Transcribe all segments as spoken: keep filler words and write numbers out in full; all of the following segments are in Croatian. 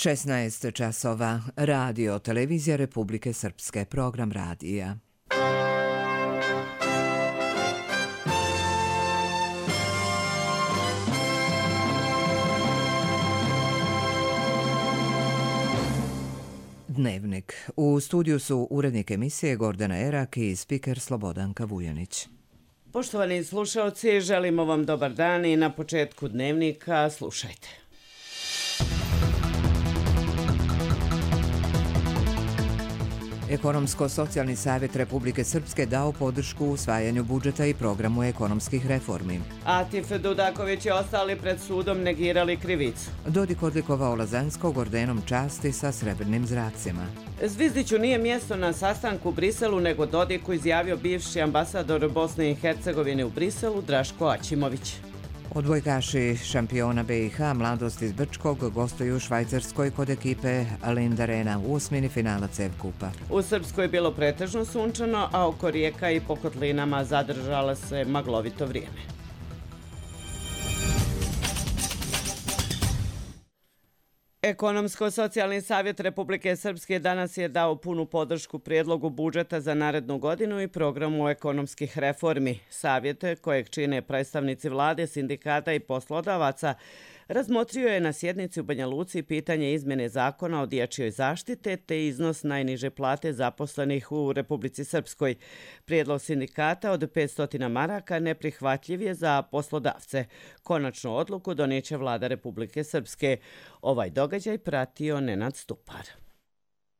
šesnaest časova. Radio Televizija Republike Srpske. Program radija. Dnevnik. U studiju su urednik emisije Gordana Erak i spiker Slobodanka Vujanić. Poštovani slušalci, želimo vam dobar dan i na početku dnevnika slušajte. Ekonomsko-socijalni savjet Republike Srpske dao podršku usvajanju budžeta i programu ekonomskih reformi. Atif Dudaković i ostali pred sudom negirali krivicu. Dodik odlikovao Lazanskog ordenom časti sa srebrnim zracima. Zvizdiću nije mjesto na sastanku u Briselu, nego Dodiku izjavio bivši ambasador Bosne i Hercegovine u Briselu Draško Aćimović. Odbojkaši šampiona B i H Mladost iz Brčkog gostuju u Švajcarskoj kod ekipe Lindarena u osmini finala C E V kupa. U Srpskoj je bilo pretežno sunčano, a oko rijeka i po kotlinama zadržala se maglovito vrijeme. Ekonomsko-socijalni savjet Republike Srpske danas je dao punu podršku prijedlogu budžeta za narednu godinu i programu ekonomskih reformi. Savjet, kojeg čine predstavnici vlade, sindikata i poslodavaca, razmotrio je na sjednici u Banja Luci pitanje izmjene zakona o dječjoj zaštite te iznos najniže plate zaposlenih u Republici Srpskoj. Prijedlog sindikata od petsto maraka neprihvatljiv je za poslodavce. Konačnu odluku donijeće vlada Republike Srpske. Ovaj događaj pratio Nenad Stupar.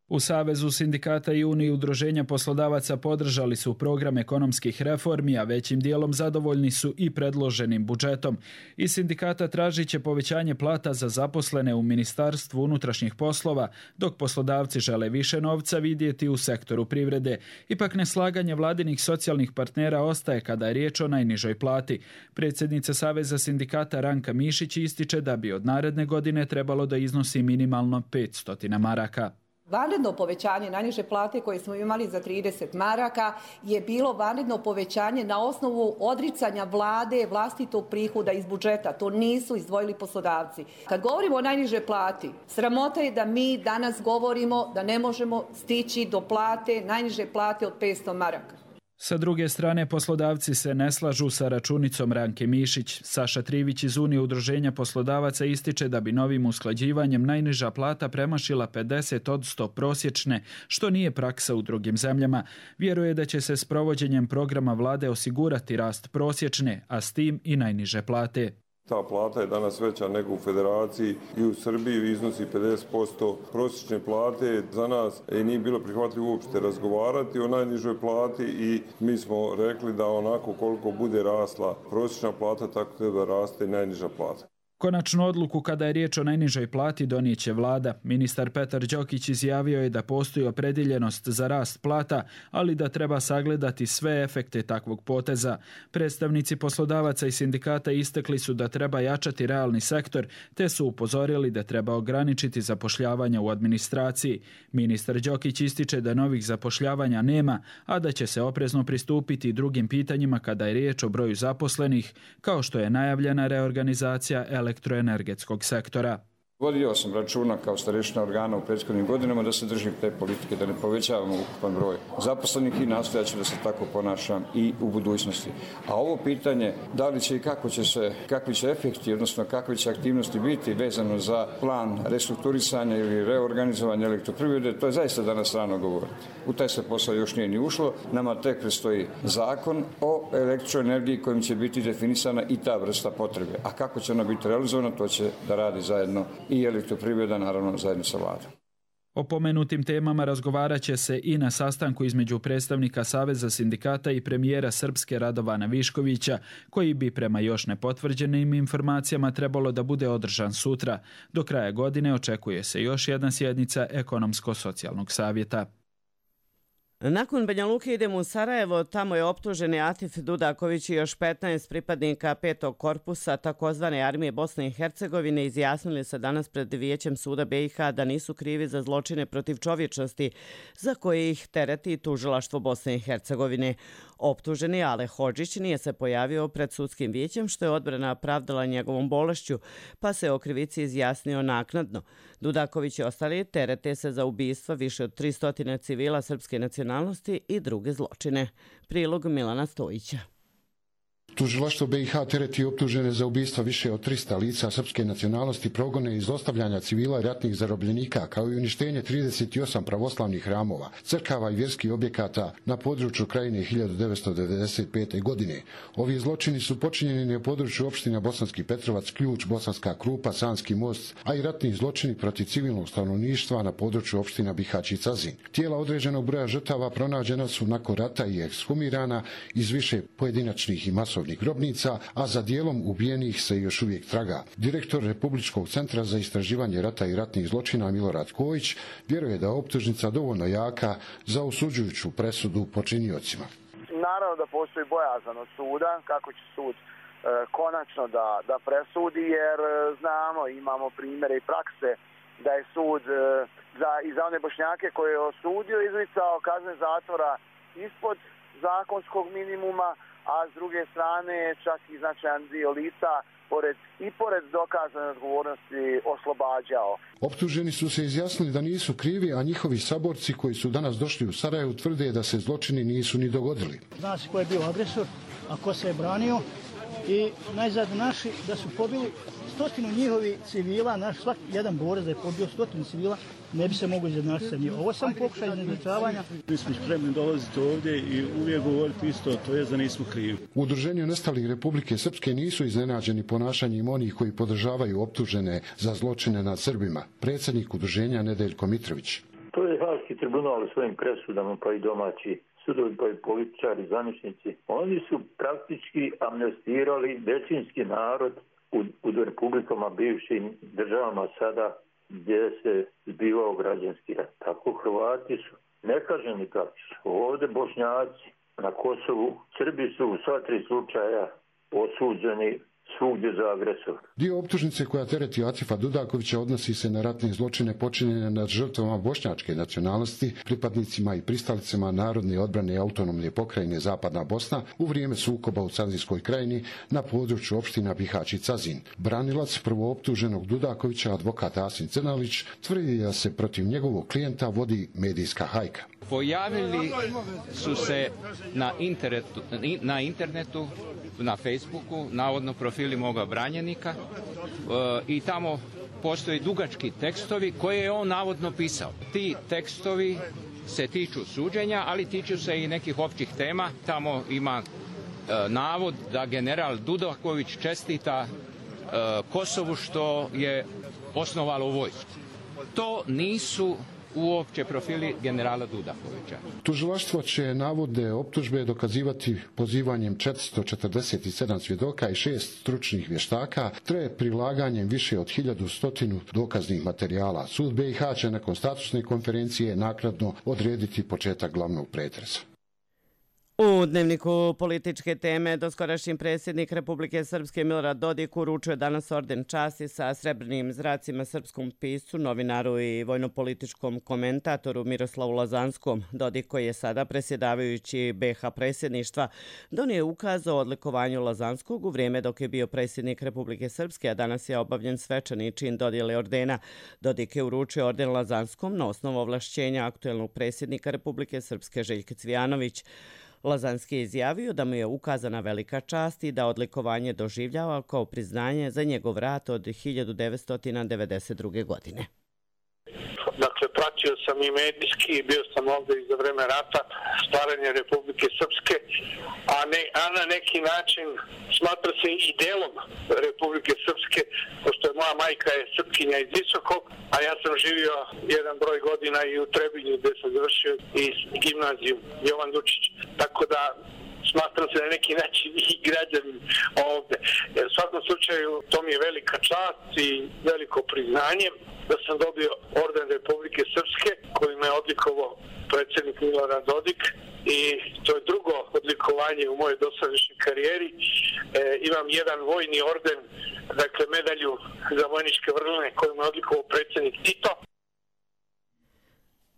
U Savezu sindikata i Uniji udruženja poslodavaca podržali su program ekonomskih reformi, a većim dijelom zadovoljni su i predloženim budžetom. Iz sindikata tražit će povećanje plata za zaposlene u Ministarstvu unutrašnjih poslova, dok poslodavci žele više novca vidjeti u sektoru privrede. Ipak neslaganje vladinih socijalnih partnera ostaje kada je riječ o najnižoj plati. Predsjednica Saveza sindikata Ranka Mišić ističe da bi od naredne godine trebalo da iznosi minimalno petsto maraka. Vanredno povećanje najniže plate koje smo imali za trideset maraka je bilo vanredno povećanje na osnovu odricanja vlade vlastitog prihoda iz budžeta. To nisu izdvojili poslodavci. Kad govorimo o najniže plati, sramota je da mi danas govorimo da ne možemo stići do plate, najniže plate od petsto maraka. Sa druge strane, poslodavci se ne slažu sa računicom Ranke Mišić. Saša Trivić iz Unije udruženja poslodavaca ističe da bi novim usklađivanjem najniža plata premašila pedeset posto prosječne, što nije praksa u drugim zemljama. Vjeruje da će se s provođenjem programa vlade osigurati rast prosječne, a s tim i najniže plate. Ta plata je danas veća nego u Federaciji i u Srbiji iznosi pedeset posto prosječne plate. Za nas nije bilo prihvatljivo uopšte razgovarati o najnižoj plati i mi smo rekli da onako koliko bude rasla prosječna plata, tako treba raste i najniža plata. Konačnu odluku kada je riječ o najnižoj plati donijeće vlada. Ministar Petar Đokić izjavio je da postoji opredjeljenost za rast plata, ali da treba sagledati sve efekte takvog poteza. Predstavnici poslodavaca i sindikata istakli su da treba jačati realni sektor, te su upozorili da treba ograničiti zapošljavanje u administraciji. Ministar Đokić ističe da novih zapošljavanja nema, a da će se oprezno pristupiti drugim pitanjima kada je riječ o broju zaposlenih, kao što je najavljena reorganizacija elektroenergetskog sektora. Vodio sam računa kao starešina organa u prethodnim godinama da se držim te politike, da ne povećavamo ukupan broj zaposlenih i nastojaću da se tako ponašam i u budućnosti. A ovo pitanje, da li će i kako će se, kakvi će efekti, odnosno kakve će aktivnosti biti vezano za plan restrukturisanja ili reorganizovanja elektroprivrede, to je zaista danas rano govoriti. U taj se posao još nije ni ušlo. Nama tek predstoji zakon o elektroenergiji kojim će biti definisana i ta vrsta potrebe. A kako će ona biti realizovana, to će da radi zajedno i elektroprivreda, naravno zajedno sa vladom. O pomenutim temama razgovarat će se i na sastanku između predstavnika Saveza sindikata i premijera Srpske Radovana Viškovića, koji bi prema još nepotvrđenim informacijama trebalo da bude održan sutra. Do kraja godine očekuje se još jedna sjednica Ekonomsko-socijalnog savjeta. Nakon Banja Luke idemo u Sarajevo, tamo je optuženi Atif Dudaković i još petnaest pripadnika petog korpusa takozvane armije Bosne i Hercegovine izjasnili se danas pred Vijećem suda B i H da nisu krivi za zločine protiv čovječnosti za koje ih tereti tužilaštvo Bosne i Hercegovine. Optuženi Ale Hodžić nije se pojavio pred sudskim vijećem što je odbrana pravdala njegovom bolešću, pa se o krivici izjasnio naknadno. Dudaković i ostali terete se za ubistva više od tristo civila srpske nacionalnosti i druge zločine. Prilog Milana Stojića. Tužilaštvo B i H tereti optužene za ubistva više od trista lica srpske nacionalnosti, progone i zlostavljanja civila i ratnih zarobljenika, kao i uništenje trideset osam pravoslavnih hramova, crkava i vjerskih objekata na području Krajine hiljadu devetsto devedeset pete. godine. Ovi zločini su počinjeni na području opština Bosanski Petrovac, Ključ, Bosanska Krupa, Sanski most, a i ratni zločini protiv civilnog stanovništva na području opština Bihać i Cazin. Tijela određenog broja žrtava pronađena su nakon rata i ekshumirana iz više pojedinačnih i masovnih grobnica, a za dijelom ubijenih se još uvijek traga. Direktor Republičkog centra za istraživanje rata i ratnih zločina Milorad Kojić vjeruje da je optužnica dovoljno jaka za osuđujuću presudu počiniocima. Naravno da postoji bojazan od suda kako će sud e, konačno da, da presudi, jer e, znamo, imamo primjere i prakse da je sud e, za, i za one Bošnjake koje je osudio izricao kazne zatvora ispod zakonskog minimuma, a s druge strane čak i značajan dio lica pored, i pored dokazane odgovornosti oslobađao. Optuženi su se izjasnili da nisu krivi, a njihovi saborci koji su danas došli u Sarajevo tvrde da se zločini nisu ni dogodili. Zna se ko je bio agresor, a ko se je branio i najzad naši da su pobili stotinu njihovi civila, naš svaki jedan borac da je pobio stotinu civila, ne bi se mogu izjednačiti sa njim. Ovo sam pokušaj izjednačavanja. Mi smo spremni dolaziti ovdje i uvijek govoriti isto, to je da nismo krivi. U Udruženju nestalih Republike Srpske nisu iznenađeni ponašanjem onih koji podržavaju optužene za zločine nad Srbima. Predsjednik udruženja Nedeljko Mitrović. To je Haški tribunal u svojim presudama, pa i domaći sudovi, pa i političari, zvaničnici. Oni su praktički amnestirali većinski narod u, u republikama, bivšim državama sada gdje se zbivao građanski rat. Tako Hrvati su nekaženi praktično. Ovdje Bošnjaci na Kosovu, Srbi su u sva tri slučaja osuđeni svugdje za agresor. Dio optužnice koja tereti Atifa Dudakovića odnosi se na ratne zločine počinjene nad žrtvama bošnjačke nacionalnosti, pripadnicima i pristalicama narodne odbrane autonomne pokrajine Zapadna Bosna u vrijeme sukoba u Cazinskoj krajini na području opština Bihać i Cazin. Branilac prvooptuženog Dudakovića, advokat Asim Crnalić, tvrdi da se protiv njegovog klijenta vodi medijska hajka. Pojavili su se na internetu, na internetu, na Facebooku, navodno profili moga branjenika e, i tamo postoji dugački tekstovi koje je on navodno pisao. Ti tekstovi se tiču suđenja, ali tiču se i nekih općih tema. Tamo ima e, navod da general Dudaković čestita e, Kosovu što je osnovalo vojsku. To nisu uopće profili generala Dudakovića. Tužilaštvo će navodne optužbe dokazivati pozivanjem četiristo četrdeset sedam svjedoka i šest stručnih vještaka, te prilaganjem više od hiljadu stotinu dokaznih materijala. Sud B i H će nakon statusne konferencije naknadno odrediti početak glavnog pretresa. U dnevniku političke teme doskorašnji predsjednik Republike Srpske Milorad Dodik uručuje danas orden časti sa srebrnim zracima srpskom piscu, novinaru i vojnopolitičkom komentatoru Miroslavu Lazanskom. Dodik, koji je sada predsjedavajući B H predsjedništva, donio je ukaz o odlikovanju Lazanskog u vrijeme dok je bio predsjednik Republike Srpske, a danas je obavljen svečani čin dodjele ordena. Dodik je uručio orden Lazanskom na osnovu ovlašćenja aktuelnog predsjednika Republike Srpske Željka Cvijanović. Lazanski je izjavio da mu je ukazana velika čast i da odlikovanje doživljava kao priznanje za njegov rat od hiljadu devetsto devedeset druge. godine. Dakle, pratio sam i medijski, bio sam ovdje i za vreme rata, stvaranje Republike Srpske, a, ne, a na neki način smatra se i delom Republike Srpske, pošto je moja majka je Srpkinja iz Visokog, a ja sam živio jedan broj godina i u Trebinju gdje sam završio i gimnaziju Jovan Dučić. Tako da smatram se na neki način i građanin ovdje. U svakom slučaju to mi je velika čast i veliko priznanje da sam dobio orden Republike Srpske koji me odlikovao predsjednik Milorad Dodik i to je drugo odlikovanje u mojoj dosadašnjoj karijeri. E, imam jedan vojni orden, dakle medalju za vojničke vrline koju me odlikovao predsjednik Tito.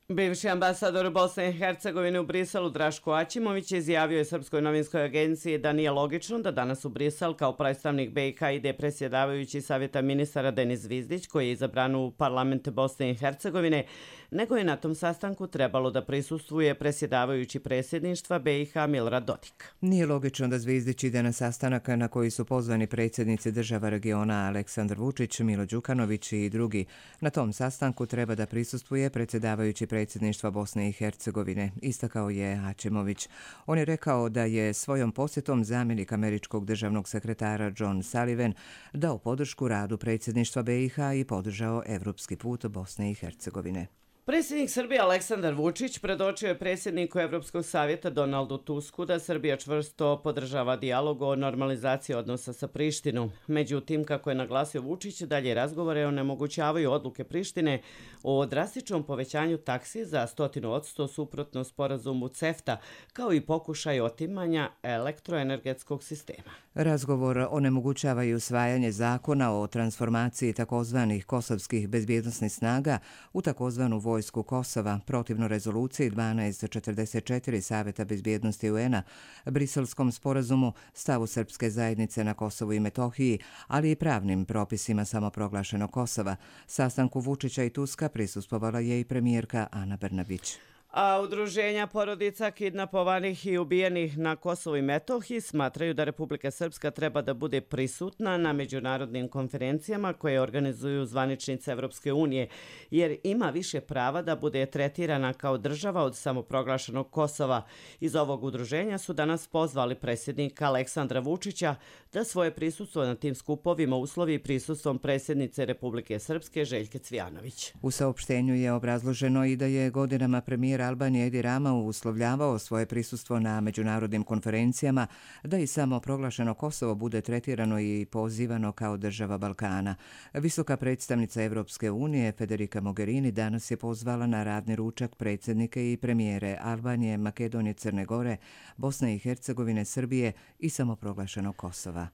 Bivši ambasador Bosne i Hercegovine u Briselu Draško Aćimović izjavio je Srpskoj novinskoj agenciji da nije logično da danas u Brisel kao predstavnik B i H ide predsjedavajući Savjeta ministara Denis Zvizdić, koji je izabran u parlament Bosne i Hercegovine, nego je na tom sastanku trebalo da prisustvuje predsjedavajući predsjedništva B i H Milorad Dodik. Nije logično da Zvizdić ide na sastanak na koji su pozvani predsjednici država regiona Aleksandar Vučić, Milo Đukanović i drugi. Na tom sastanku treba da prisustvuje predsjedavajući predsjedništva Bosne i Hercegovine, istakao je Aćimović. On je rekao da je svojom posjetom zamjenik američkog državnog sekretara John Sullivan dao podršku radu predsjedništva B i H i podržao evropski put Bosne i Hercegovine. Predsjednik Srbije Aleksandar Vučić predočio je predsjedniku Evropskog savjeta Donaldu Tusku da Srbija čvrsto podržava dijalog o normalizaciji odnosa sa Prištinom. Međutim, kako je naglasio Vučić, dalje razgovore onemogućavaju odluke Prištine o drastičnom povećanju taksi za stotinu odsto suprotno sporazumu CEFTA, kao i pokušaj otimanja elektroenergetskog sistema. Razgovor onemogućava i usvajanje zakona o transformaciji takozvanih kosovskih bezbjednosnih snaga u takozvanu vojsku Kosova, protivno rezoluciji dvanaest četrdeset četiri Savjeta bezbjednosti U N-a, Briselskom sporazumu, stavu srpske zajednice na Kosovu i Metohiji, ali i pravnim propisima samoproglašenog Kosova. Sastanku Vučića i Tuska prisustvovala je i premijerka Ana Brnabić. A udruženja porodica kidnapovanih i ubijenih na Kosovu i Metohiji smatraju da Republika Srpska treba da bude prisutna na međunarodnim konferencijama koje organizuju zvaničnice Evropske unije, jer ima više prava da bude tretirana kao država od samoproglašenog Kosova. Iz ovog udruženja su danas pozvali predsjednika Aleksandra Vučića da svoje prisustvo na tim skupovima uslovi prisustvom predsjednice Republike Srpske Željke Cvijanović. U saopštenju je obrazloženo i da je godinama premijer Albanije Edi Rama uslovljavao svoje prisustvo na međunarodnim konferencijama da i samo proglašeno Kosovo bude tretirano i pozivano kao država Balkana. Visoka predstavnica Evropske unije Federica Mogherini danas je pozvala na radni ručak predsjednike i premijere Albanije, Makedonije, Crne Gore, Bosne i Hercegovine, Srbije i samoproglašenog Kosova.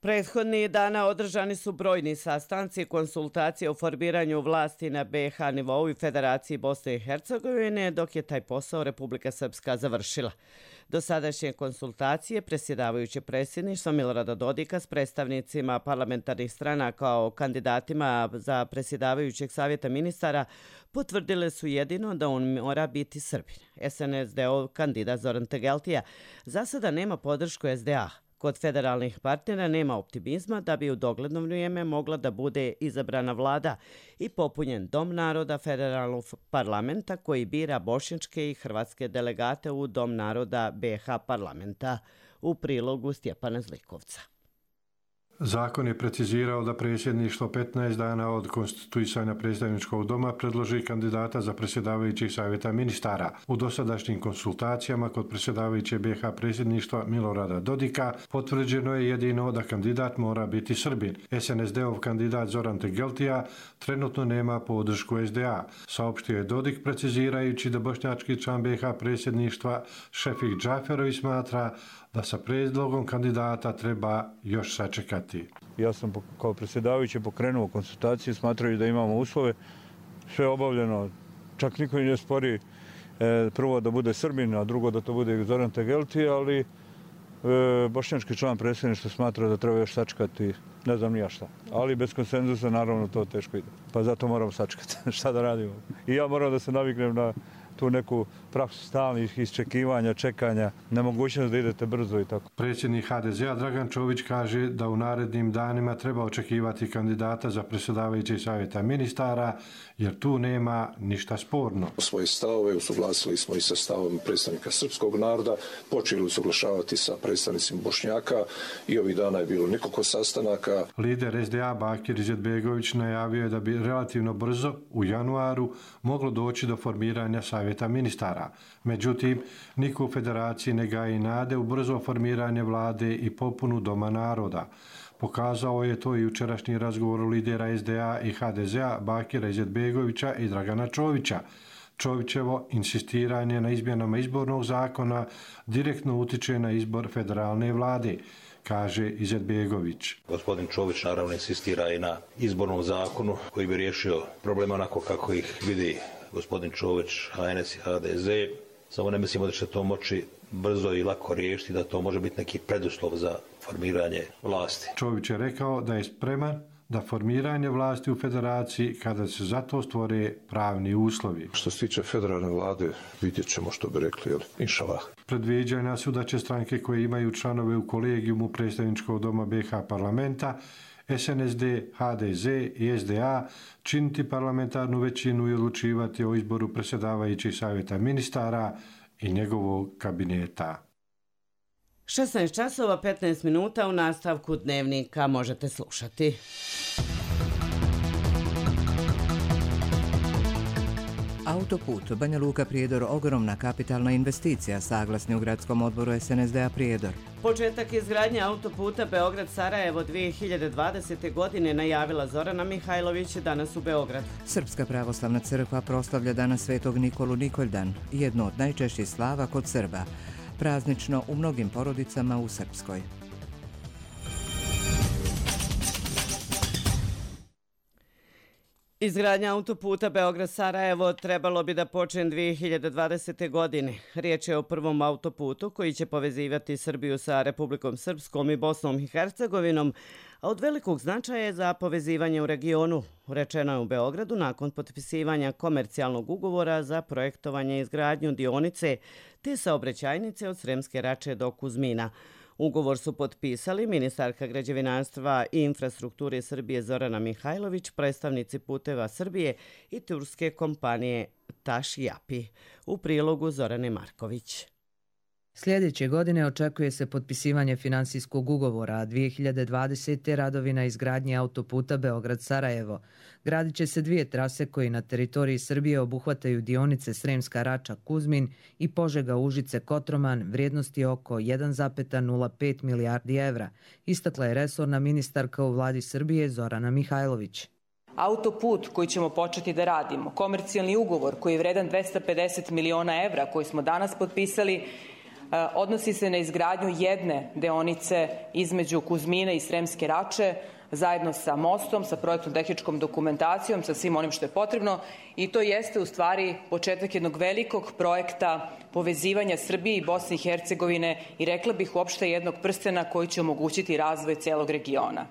Prethodnih dana održani su brojni sastanci i konsultacije o formiranju vlasti na B i H nivou i Federaciji Bosne i Hercegovine, dok je taj posao Republika Srpska završila. Dosadašnje konsultacije predsjedavajuće predsjedništva Milorada Dodika s predstavnicima parlamentarnih strana kao kandidatima za predsjedavajućeg savjeta ministara potvrdile su jedino da on mora biti Srbin. S N S D-ov kandidat Zoran Tegeltija za sada nema podršku S D A. Kod federalnih partnera nema optimizma da bi u dogledno vrijeme mogla da bude izabrana vlada i popunjen Dom naroda federalnog parlamenta koji bira bošnjačke i hrvatske delegate u Dom naroda B i H parlamenta, u prilogu Stjepana Zlikovca. Zakon je precizirao da predsjedništvo petnaest dana od konstituisanja predstavničkog doma predloži kandidata za predsjedavajućeg savjeta ministara. U dosadašnjim konsultacijama kod predsjedavajuće B i H predsjedništva Milorada Dodika potvrđeno je jedino da kandidat mora biti Srbin. S N S D-ov kandidat Zoran Tegeltija trenutno nema podršku S D A. Saopštio je Dodik precizirajući da bošnjački član B i H predsjedništva Šefik Džaferović smatra da sa prijedlogom kandidata treba još sačekati. Ja sam kao predsjedavajući pokrenuo konsultacije, smatraju da imamo uslove, sve obavljeno, čak niko ne spori e, prvo da bude Srbin, a drugo da to bude Zoran Tegelti, ali e, bošnjački član predsjedništva smatra da treba još sačekati, ne znam nija šta. Ali bez konsenzusa naravno to teško ide, pa zato moramo sačekati šta da radimo. I ja moram da se naviknem na tu neku praksu stalnih isčekivanja, čekanja, nemogućnost da idete brzo i tako. Predsjednik H D Z A Dragan Čović kaže da u narednim danima treba očekivati kandidata za predsjedavajućeg savjeta ministara, jer tu nema ništa sporno. Svoje stavove usuglasili smo i sa stavom predstavnika srpskog naroda, počeli usuglašavati sa predstavnicima Bošnjaka i ovih dana je bilo nekoliko sastanaka. Lider S D A Bakir Izetbegović najavio je da bi relativno brzo, u januaru, moglo doći do formiranja savjeta ministara. Međutim, niko u federaciji ne gaji nade u brzo formiranje vlade i popunu Doma naroda. Pokazao je to i jučerašnji razgovor lidera S D A i H D Z A Bakira Izetbegovića i Dragana Čovića. Čovićevo insistiranje na izmjenama izbornog zakona direktno utiče na izbor federalne vlade, kaže Izetbegović. Gospodin Čović naravno insistira i na izbornom zakonu koji bi riješio probleme onako kako ih vidi gospodin Čović, H N S i H D Z. Samo ne mislimo da će to moći brzo i lako riješiti, da to može biti neki preduslov za formiranje vlasti. Čović je rekao da je spreman da formiranje vlasti u federaciji kada se za to stvore pravni uslovi. Što se tiče federalne vlade, vidjet ćemo što bi rekli, jel? Inšalah. Predviđanja su da će stranke koje imaju članove u kolegijumu predstavničkog doma B iH parlamenta, S N S D, H D Z i S D A činiti parlamentarnu većinu i odlučivati o izboru predsjedavajućih savjeta ministara i njegovog kabineta. šesnaest časova petnaest minuta u nastavku dnevnika možete slušati. Autoput Banja Luka Prijedor ogromna kapitalna investicija, saglasni u gradskom odboru S N S D A Prijedor. Početak izgradnje autoputa Beograd-Sarajevo dvije hiljade dvadesete. godine najavila Zorana Mihajlović danas u Beogradu. Srpska pravoslavna crkva proslavlja danas Svetog Nikolu Nikoljdan, jedno od najčešćih slava kod Srba. Praznično u mnogim porodicama u Srpskoj. Izgradnja autoputa Beograd-Sarajevo trebalo bi da počne dvije hiljade dvadesete. godine. Riječ je o prvom autoputu koji će povezivati Srbiju sa Republikom Srpskom i Bosnom i Hercegovinom, a od velikog značaja je za povezivanje u regionu. Rečeno je u Beogradu nakon potpisivanja komercijalnog ugovora za projektovanje i izgradnju dionice te saobraćajnice od Sremske Rače do Kuzmina. Ugovor su potpisali ministarka građevinarstva i infrastrukture Srbije Zorana Mihajlović, predstavnici Puteva Srbije i turske kompanije Taš Yapi. U prilogu Zorane Marković. Sljedeće godine očekuje se potpisivanje finansijskog ugovora, a dvije hiljade dvadesete. radovi na izgradnji autoputa Beograd-Sarajevo. Gradit će se dvije trase koji na teritoriji Srbije obuhvataju dionice Sremska Rača-Kuzmin i Požega-Užice-Kotroman vrijednosti oko jedan zarez nula pet milijardi evra, istakla je resorna ministarka u vladi Srbije Zorana Mihajlović. Autoput koji ćemo početi da radimo, komercijalni ugovor koji je vredan dvesta pedeset miliona evra koji smo danas potpisali, odnosi se na izgradnju jedne deonice između Kuzmina i Sremske Rače, zajedno sa mostom, sa projektnom tehničkom dokumentacijom, sa svim onim što je potrebno, i to jeste u stvari početak jednog velikog projekta povezivanja Srbije i Bosne i Hercegovine i rekla bih uopšte jednog prstena koji će omogućiti razvoj celog regiona.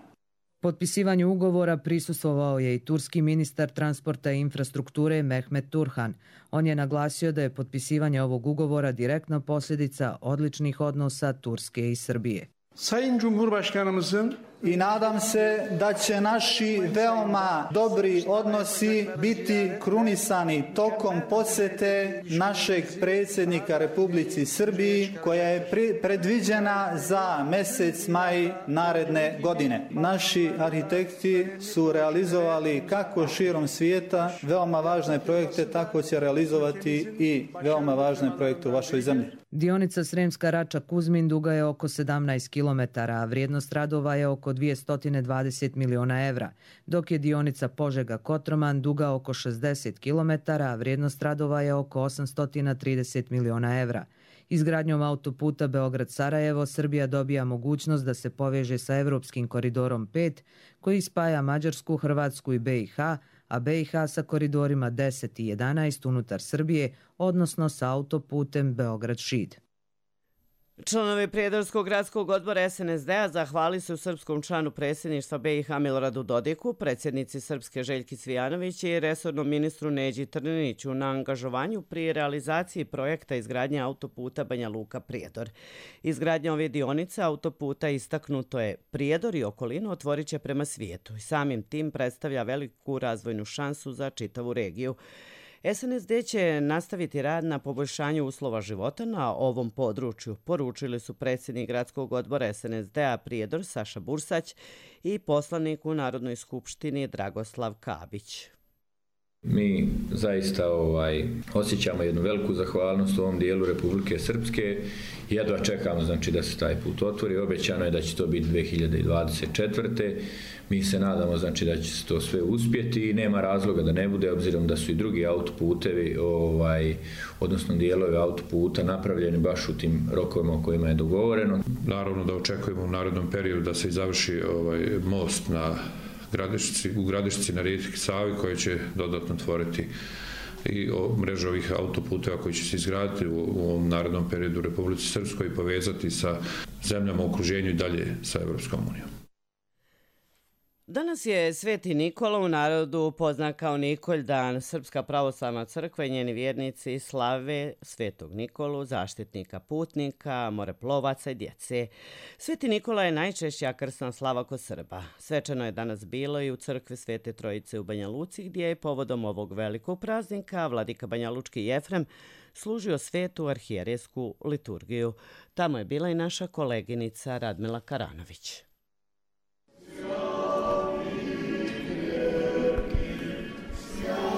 Potpisivanju ugovora prisustvovao je i turski ministar transporta i infrastrukture Mehmet Turhan. On je naglasio da je potpisivanje ovog ugovora direktna posljedica odličnih odnosa Turske i Srbije. Sayın Cumhurbaşkanımızın i nadam se da će naši veoma dobri odnosi biti krunisani tokom posete našeg predsjednika Republici Srbiji koja je predviđena za mjesec maj naredne godine. Naši arhitekti su realizovali kako širom svijeta veoma važne projekte, tako će realizovati i veoma važne projekte u vašoj zemlji. Dionica Sremska Rača-Kuzmin duga je oko sedamnaest kilometara, a vrijednost radova je oko dvesta dvadeset miliona evra, dok je dionica Požega-Kotroman duga oko šezdeset kilometara, a vrijednost radova je oko osamsto trideset miliona evra. Izgradnjom autoputa Beograd-Sarajevo Srbija dobija mogućnost da se poveže sa Evropskim koridorom pet, koji spaja Mađarsku, Hrvatsku i B iH, a B iH sa koridorima deset i jedanaest unutar Srbije, odnosno sa autoputem Beograd-Šid. Članovi Prijedorskog gradskog odbora S N S D A zahvali se u srpskom članu predsjedništva B iH Miloradu Dodiku, predsjednici Srpske Željki Cvijanović i resornom ministru Neđi Trniniću na angažovanju pri realizaciji projekta izgradnje autoputa Banja Luka Prijedor. Izgradnja ove dionice autoputa istaknuto je Prijedor i okolinu otvorit će prema svijetu i samim tim predstavlja veliku razvojnu šansu za čitavu regiju. S N S D će nastaviti rad na poboljšanju uslova života na ovom području, poručili su predsjednik gradskog odbora S N S D A Prijedor Saša Bursać i poslanik u Narodnoj skupštini Dragoslav Kabić. Mi zaista ovaj, osjećamo jednu veliku zahvalnost u ovom dijelu Republike Srpske i jedva čekamo znači, da se taj put otvori. Obećano je da će to biti dvije hiljade dvadeset četvrte. Mi se nadamo znači, da će se to sve uspjeti i nema razloga da ne bude, obzirom da su i drugi autoputevi, ovaj, odnosno dijelovi autoputa napravljeni baš u tim rokovima o kojima je dogovoreno. Naravno da očekujemo u narednom periodu da se i završi ovaj, most na Gradišci, u Gradišci na rijeci Savi koji će dodatno tvoriti i mrežu ovih autoputeva koji će se izgraditi u, u ovom narednom periodu u Republici Srpskoj i povezati sa zemljama u okruženju i dalje sa Evropskom unijom. Danas je Sveti Nikola, u narodu poznat kao Nikolj dan. Srpska pravoslavna crkva i njeni vjernici slave Svetog Nikolu, zaštitnika putnika, moreplovaca i djece. Sveti Nikola je najčešća krsna slava kod Srba. Svečano je danas bilo i u crkvi Svete Trojice u Banja Luci, gdje je povodom ovog velikog praznika vladika banjalučki Jefrem služio svetu arhijerejsku liturgiju. Tamo je bila i naša koleginica Radmila Karanović.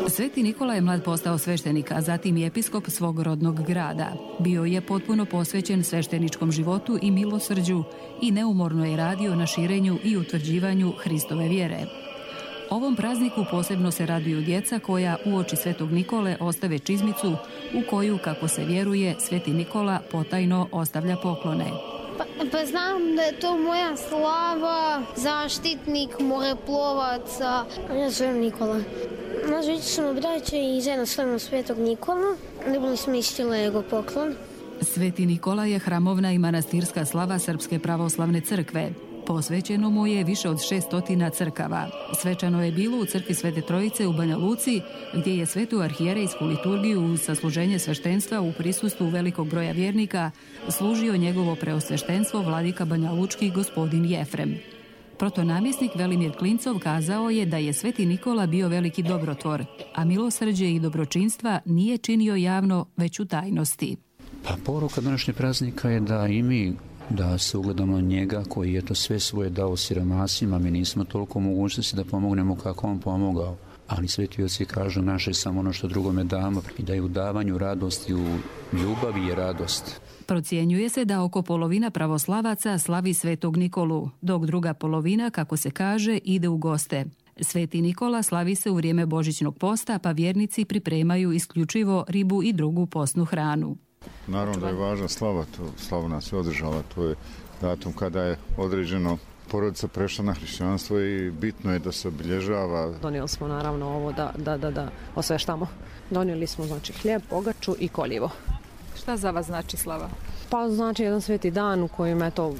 Sveti Nikola je mlad postao sveštenik, a zatim i episkop svog rodnog grada. Bio je potpuno posvećen svešteničkom životu i milosrđu i neumorno je radio na širenju i utvrđivanju Hristove vjere. Ovom prazniku posebno se raduju djeca koja uoči Svetog Nikole ostave čizmicu u koju, kako se vjeruje, Sveti Nikola potajno ostavlja poklone. Pa, pa znam da je to moja slava, zaštitnik, moreplovaca. Ja zovem Nikola. Nazvali smo braće i zajedno slavimo Svetog Nikola. Ne bili smo isti Lego poklon. Sveti Nikola je hramovna i manastirska slava Srpske pravoslavne crkve. Posvećeno mu je više od šestotina crkava. Svečano je bilo u crkvi Svete Trojice u Banja Luci, gdje je svetu arhijerejsku liturgiju uz sasluženje sveštenstva u prisustvu velikog broja vjernika služio njegovo preosveštenstvo vladika banjalučki gospodin Jefrem. Protonamjesnik Velimir Klincov kazao je da je Sveti Nikola bio veliki dobrotvor, a milosrđe i dobročinstva nije činio javno, već u tajnosti. Pa poruka današnjeg praznika je da i mi da se ugledamo njega koji je to sve svoje dao siromasima. Mi nismo toliko mogućnosti da pomognemo kako on pomogao. Ali sveti oci kažu naše samo ono što drugome damo i da je u davanju radosti, u ljubavi je radost. Procjenjuje se da oko polovina pravoslavaca slavi Svetog Nikolu, dok druga polovina, kako se kaže, ide u goste. Sveti Nikola slavi se u vrijeme božićnog posta, pa vjernici pripremaju isključivo ribu i drugu postnu hranu. Naravno da je važna slava, to slava nas je održala, to je datum kada je određeno porodica prešla na hrišćanstvo i bitno je da se obilježava. Donijeli smo naravno ovo da, da, da, da osveštamo. Donijeli smo znači hljeb, pogaču i koljivo. Šta za vas znači slava? Pa znači jedan sveti dan u kojem eto,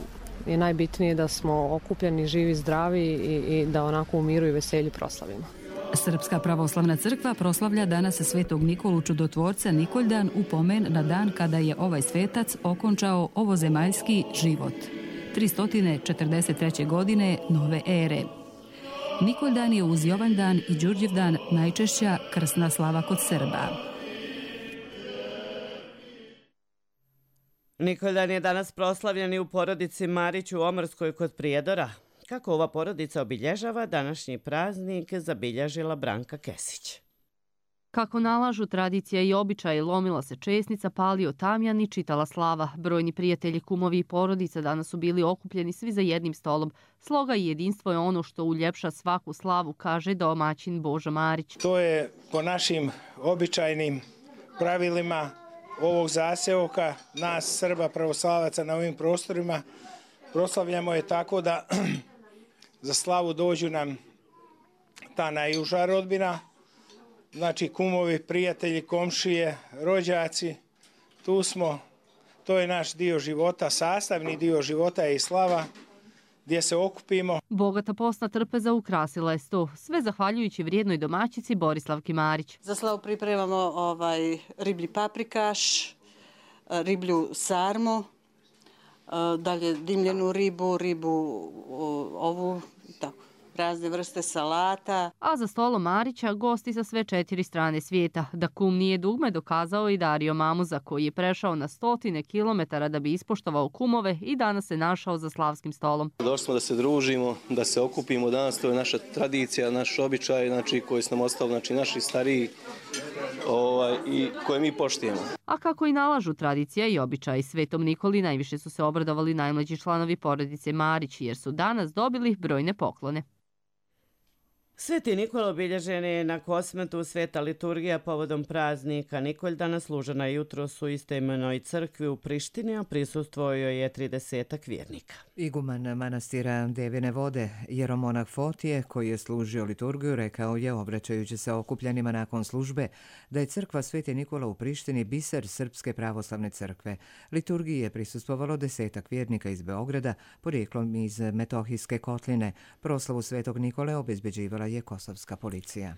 je najbitnije da smo okupljeni, živi, zdravi i, i da onako u miru i veselju proslavimo. Srpska pravoslavna crkva proslavlja danas Svetog Nikolu čudotvorca Nikoljdan u pomen na dan kada je ovaj svetac okončao ovozemaljski život. tristo četrdeset treće godine nove ere. Nikoljdan je uz Jovandan i Đurđevdan najčešća krsna slava kod Srba. Nikoljdan je danas proslavljen i u porodici Marić u Omrskoj kod Prijedora. Kako ova porodica obilježava današnji praznik, zabilježila Branka Kesić. Kako nalažu tradicija i običaj, lomila se česnica, palio tamjan i čitala slava. Brojni prijatelji, kumovi i porodica danas su bili okupljeni svi za jednim stolom. Sloga i jedinstvo je ono što uljepša svaku slavu, kaže domaćin Božo Marić. To je po našim običajnim pravilima ovog zaseoka, nas Srba pravoslavaca na ovim prostorima. Proslavljamo je tako da za slavu dođu nam ta najuža rodbina, znači kumovi, prijatelji, komšije, rođaci, tu smo, to je naš dio života, sastavni dio života je i slava, gdje se okupimo. Bogata postna trpeza ukrasila je sto, sve zahvaljujući vrijednoj domaćici Borislavki Marić. Za slavu pripremamo ovaj riblji paprikaš, riblju sarmu, dalje dimljenu ribu, ribu ovu i tako. razne vrste salata. A za stolom Marića gosti sa sve četiri strane svijeta. Da kum nije dugme dokazao i Dario Mamuza, koji je prešao na stotine kilometara da bi ispoštovao kumove i danas se našao za slavskim stolom. Došli smo da se družimo, da se okupimo danas, to je naša tradicija, naš običaj, znači, koji su nam ostali, znači, naši stariji ovaj, i koje mi poštujemo. A kako i nalažu tradicija i običaj, Svetom Nikoli najviše su se obradovali najmlađi članovi porodice Marić, jer su danas dobili brojne poklone. Sveti Nikola obilježen je na Kosmetu. Sveta liturgija povodom praznika Nikoldana služena jutros u istoimenoj crkvi u Prištini, a prisustvovao je tridesetak vjernika. Iguman manastira Devine vode, jeromonah Fotije, koji je služio liturgiju, rekao je, obraćajući se okupljenima nakon službe, da je crkva Sveti Nikola u Prištini biser Srpske pravoslavne crkve. Liturgiji je prisustvovalo desetak vjernika iz Beograda, porijeklom iz Metohijske kotline. Proslavu Svetog Nikole obezbeđivala je kosovska policija.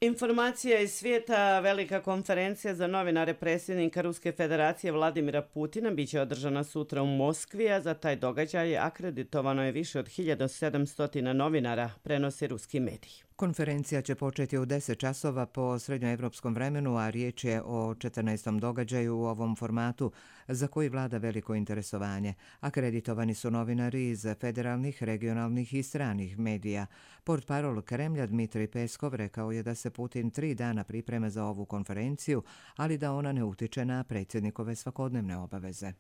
Informacija iz svijeta. Velika konferencija za novinare predsjednika Ruske federacije Vladimira Putina biće održana sutra u Moskvi, a za taj događaj akreditovano je više od hiljadu sedamsto novinara, prenosi ruski mediji. Konferencija će početi u deset časova po srednjoevropskom vremenu, a riječ je o četrnaestom događaju u ovom formatu za koji vlada veliko interesovanje. Akreditovani su novinari iz federalnih, regionalnih i stranih medija. Portparol Kremlja Dmitrij Peskov rekao je da se Putin tri dana priprema za ovu konferenciju, ali da ona ne utiče na predsjednikove svakodnevne obaveze.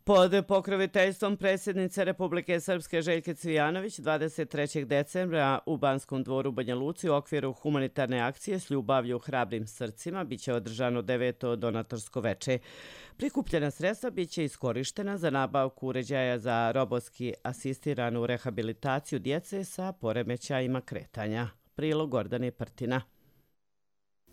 Pod pokroviteljstvom predsjednice Republike Srpske Željke Cvijanović dvadeset trećeg decembra u Banskom dvoru u Banja Luci u okviru humanitarne akcije S ljubavlju hrabrim srcima biće održano deveto donatorsko veče. Prikupljena sredstva biće iskorištena za nabavku uređaja za robotski asistiranu rehabilitaciju djece sa poremećajima kretanja. Prilog Gordane Prtina.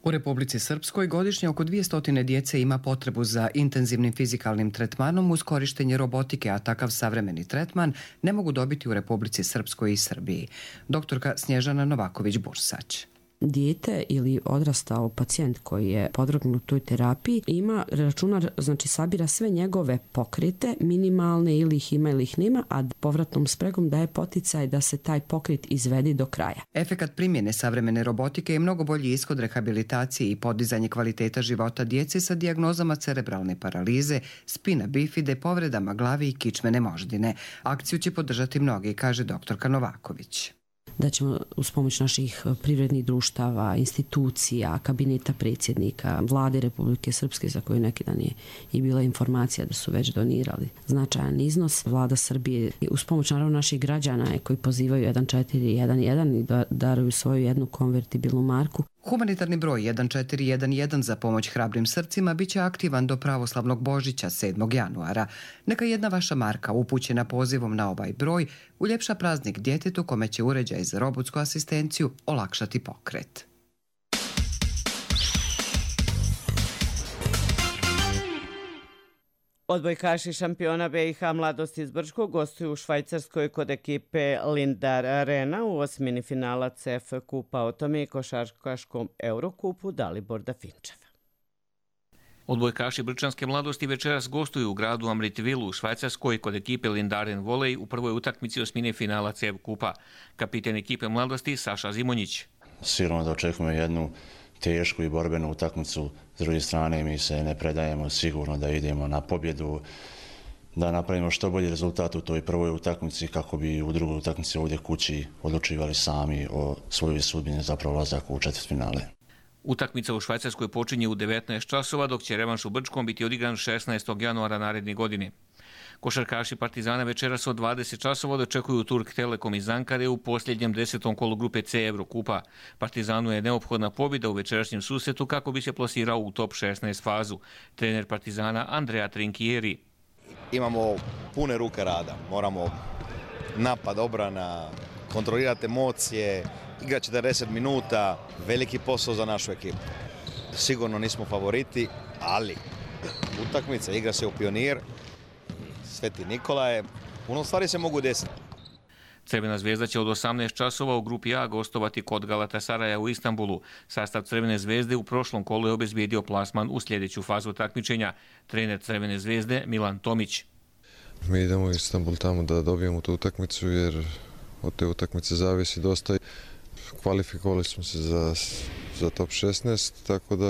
U Republici Srpskoj godišnje oko dvjesto djece ima potrebu za intenzivnim fizikalnim tretmanom uz korištenje robotike, a takav savremeni tretman ne mogu dobiti u Republici Srpskoj i Srbiji. Doktorka Snježana Novaković-Bursać. Dijete ili odrastao pacijent koji je podvrgnut toj terapiji ima računar, znači sabira sve njegove pokrete, minimalne ili ih ima ili ih nema, a povratnom spregom daje poticaj da se taj pokret izvedi do kraja. Efekat primjene savremene robotike je mnogo bolji ishod rehabilitacije i podizanje kvaliteta života djece sa dijagnozama cerebralne paralize, spina bifide, povredama glavi i kičmene moždine. Akciju će podržati mnogi, kaže doktorka Novaković. Da ćemo uz pomoć naših privrednih društava, institucija, kabineta predsjednika, vlade Republike Srpske, za koju neki dan je i bila informacija da su već donirali značajan iznos. Vlada Srbije uz pomoć naravno naših građana koji pozivaju jedan četiri jedan jedan i da daruju svoju jednu konvertibilnu marku. Humanitarni broj jedan četiri jedan jedan za pomoć hrabrim srcima biće aktivan do pravoslavnog Božića sedmog januara. Neka jedna vaša marka upućena pozivom na ovaj broj uljepša praznik djetetu kome će uređaj za robotsku asistenciju olakšati pokret. Odbojkaši šampiona B i H Mladost iz Brčkog gostuju u Švajcarskoj kod ekipe Lindar Arena u osmini finala C F kupa, o tome i košarkaškom Eurokupu Dalibor Dafinčev. Odbojkaši Brčanske Mladosti večeras gostuju u gradu Amritville u Švajcarskoj kod ekipe Lindaren Volej u prvoj utakmici osmine finala C F kupa. Kapiten ekipe Mladosti Saša Zimonjić. Sigurno da očekujemo jednu tešku i borbenu utakmicu. S druge strane mi se ne predajemo, sigurno da idemo na pobjedu, da napravimo što bolji rezultat u toj prvoj utakmici kako bi u drugoj utakmici ovdje kući odlučivali sami o svojoj sudbini, zapravo ulazak u četvrtfinale. Utakmica u Švajcarskoj počinje u devetnaest časova, dok će revanš u Brčkom biti odigran šesnaestog januara naredne godine. Košarkaši Partizana večeras od dvadeset časova dočekuju Turk Telekom iz Ankare u posljednjem desetom kolu grupe C Eurokupa. Partizanu je neophodna pobjeda u večerašnjem susretu kako bi se plasirao u top šesnaest fazu. Trener Partizana Andrea Trinkieri. Imamo pune ruke rada, moramo napad, obrana, kontrolirati emocije, igra četrdeset minuta, veliki posao za našu ekipu. Sigurno nismo favoriti, ali utakmica, igra se u Pionir, Sveti Nikola je, puno stvari se mogu desiti. Crvena zvezda će od osamnaest časova u grupi A gostovati kod Galatasaraja u Istanbulu. Sastav Crvene zvezde u prošlom kolu je obezbijedio plasman u sljedeću fazu takmičenja. Trener Crvene zvezde Milan Tomić. Mi idemo u Istanbul tamo da dobijemo tu utakmicu jer od te utakmice zavisi dosta. Kvalifikovali smo se za, za top šesnaest, tako da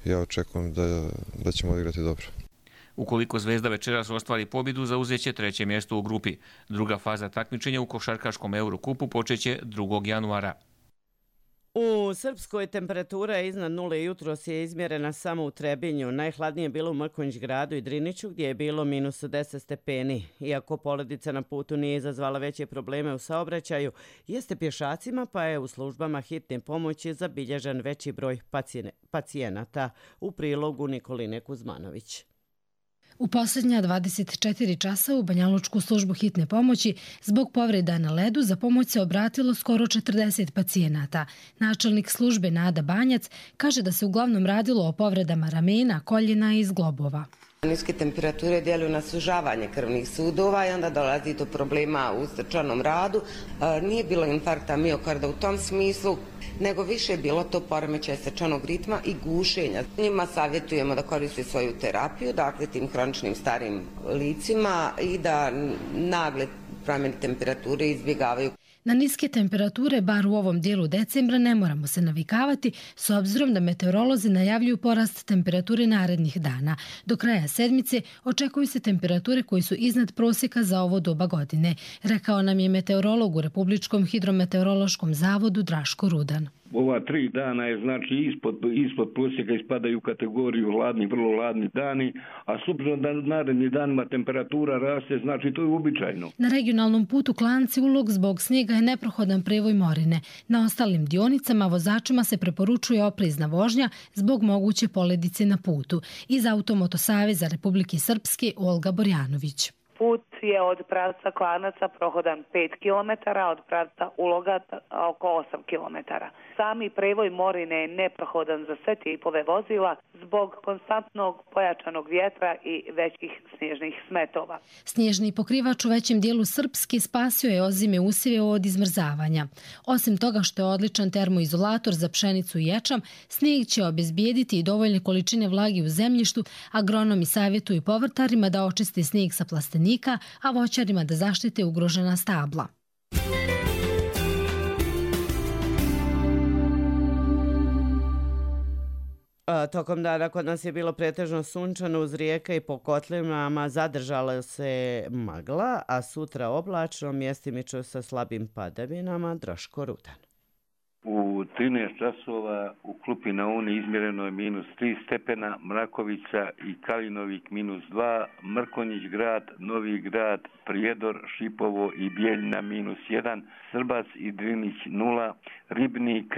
ja očekujem da, da ćemo odigrati dobro. Ukoliko Zvezda večeras ostvari pobjedu, zauzeće treće mjesto u grupi. Druga faza takmičenja u košarkaškom Eurokupu počeće drugog januara. U Srpskoj temperatura je iznad nule, jutros je izmjerena samo u Trebinju. Najhladnije je bilo u Mrkonjić gradu i Driniću gdje je bilo minus deset stepeni. Iako poledica na putu nije izazvala veće probleme u saobraćaju, jeste pješacima pa je u službama hitne pomoći zabilježen veći broj pacijenata. U prilogu Nikoline Kuzmanović. U posljednja dvadeset četiri časa u Banjalučku službu hitne pomoći zbog povreda na ledu za pomoć se obratilo skoro četrdeset pacijenata. Načelnik službe Nada Banjac kaže da se uglavnom radilo o povredama ramena, koljena i zglobova. Niske temperature djeluju na sužavanje krvnih sudova i onda dolazi do problema u srčanom radu. Nije bilo infarkta miokarda u tom smislu, nego više je bilo to poremećaj srčanog ritma i gušenja. Njima savjetujemo da koriste svoju terapiju, dakle tim hroničnim starim licima i da nagle promjene temperature izbjegavaju. Na niske temperature, bar u ovom dijelu decembra, ne moramo se navikavati s obzirom da meteorolozi najavljuju porast temperature narednih dana. Do kraja sedmice očekuju se temperature koji su iznad prosjeka za ovo doba godine, rekao nam je meteorolog u Republičkom hidrometeorološkom zavodu Draško Rudan. Ova tri dana je znači ispod, ispod prosjeka ispadaju u kategoriju hladni, vrlo hladni dani, a s obzirom da naredni danima temperatura raste, znači to je uobičajeno. Na regionalnom putu Klanci Ulog zbog snijega je neprohodan prevoj Morine. Na ostalim dionicama vozačima se preporučuje oprezna vožnja zbog moguće poledice na putu. Iz Automotosaveza Republike Srpske Olga Borjanović. Put je od pravca Klanaca prohodan pet kilometara, od pravca Uloga oko osam kilometara. Sami prevoj Morine je neprohodan za sve tipove vozila zbog konstantnog pojačanog vjetra i većih snježnih smetova. Snježni pokrivač u većem dijelu Srpske spasio je ozime usjeve od izmrzavanja. Osim toga što je odličan termoizolator za pšenicu i ječam, snijeg će obezbijediti i dovoljne količine vlage u zemljištu, agronomi savjetuju povrtarima da očiste snijeg sa plastenika, a voćarima da zaštite ugrožena stabla. A, tokom dana kod nas je bilo pretežno sunčano uz rijeke i po kotlinama zadržala se magla, a sutra oblačno, mjestimično sa slabim padavinama. Draško Rudan. U trinaest časova u Klupi na Uni izmjereno je minus tri stepena, Mrakovica i Kalinovik minus dva, Mrkonjić grad, Novi grad, Prijedor, Šipovo i Bijeljina minus jedan, Srbac i Drinić nula, Ribnik,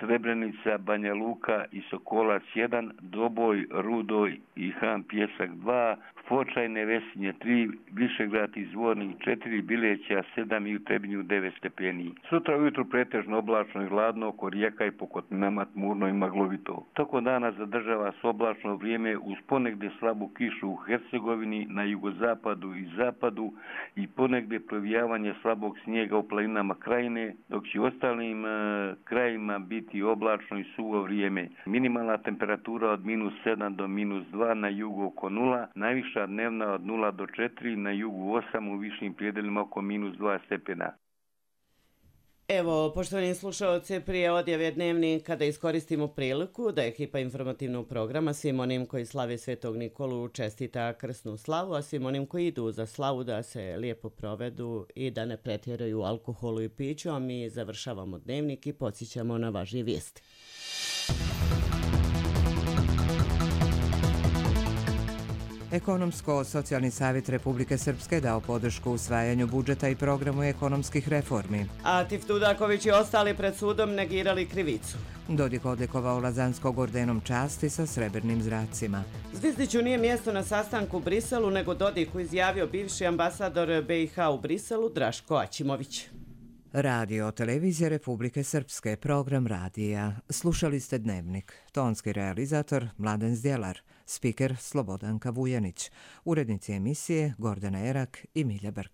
Srebrenica, Banja Luka i Sokolac jedan, Doboj, Rudoj i Han Pjesak dva, Fočajne, Vesinje tri, Višegrad i Zvornik četiri, Bileća sedam i u Trebinju devet stepeni. Sutra ujutru pretežno oblačno i hladno, oko rijeka i po kotlinama tmurno i maglovito. Toko dana zadržava se oblačno vrijeme uz ponegdje slabu kišu u Hercegovini, na jugozapadu i zapadu i ponegdje provijavanje slabog snijega u planinama Krajine, dok će u ostalim e, krajima biti oblačno i suvo vrijeme. Minimalna temperatura od minus sedam do minus dva, na jugu oko nula, najviša dnevna od nula do četiri, na jugu osam, u višim prijedelima oko minus dva stepena. Evo, poštovani slušalci, prije odjave dnevnika da iskoristimo priliku da ekipa informativnog programa svim onim koji slave Svetog Nikolu čestita krsnu slavu, a svim onim koji idu za slavu da se lijepo provedu i da ne pretjeraju alkoholu i piću, a mi završavamo dnevnik i podsjećamo na važnije vijesti. Ekonomsko-socijalni savjet Republike Srpske dao podršku usvajanju budžeta i programu ekonomskih reformi. A Tiftudaković i ostali pred sudom negirali krivicu. Dodik odlikovao Lazanskog ordenom časti sa srebrnim zracima. Zvizdiću nije mjesto na sastanku u Briselu, nego Dodiku izjavio bivši ambasador B i H u Briselu Draško Aćimović. Radio Televizija Republike Srpske, program radija. Slušali ste dnevnik. Tonski realizator Mladen Zdjelar, spiker Slobodanka Vujanić, urednici emisije Gordana Erak i Milja Brkić.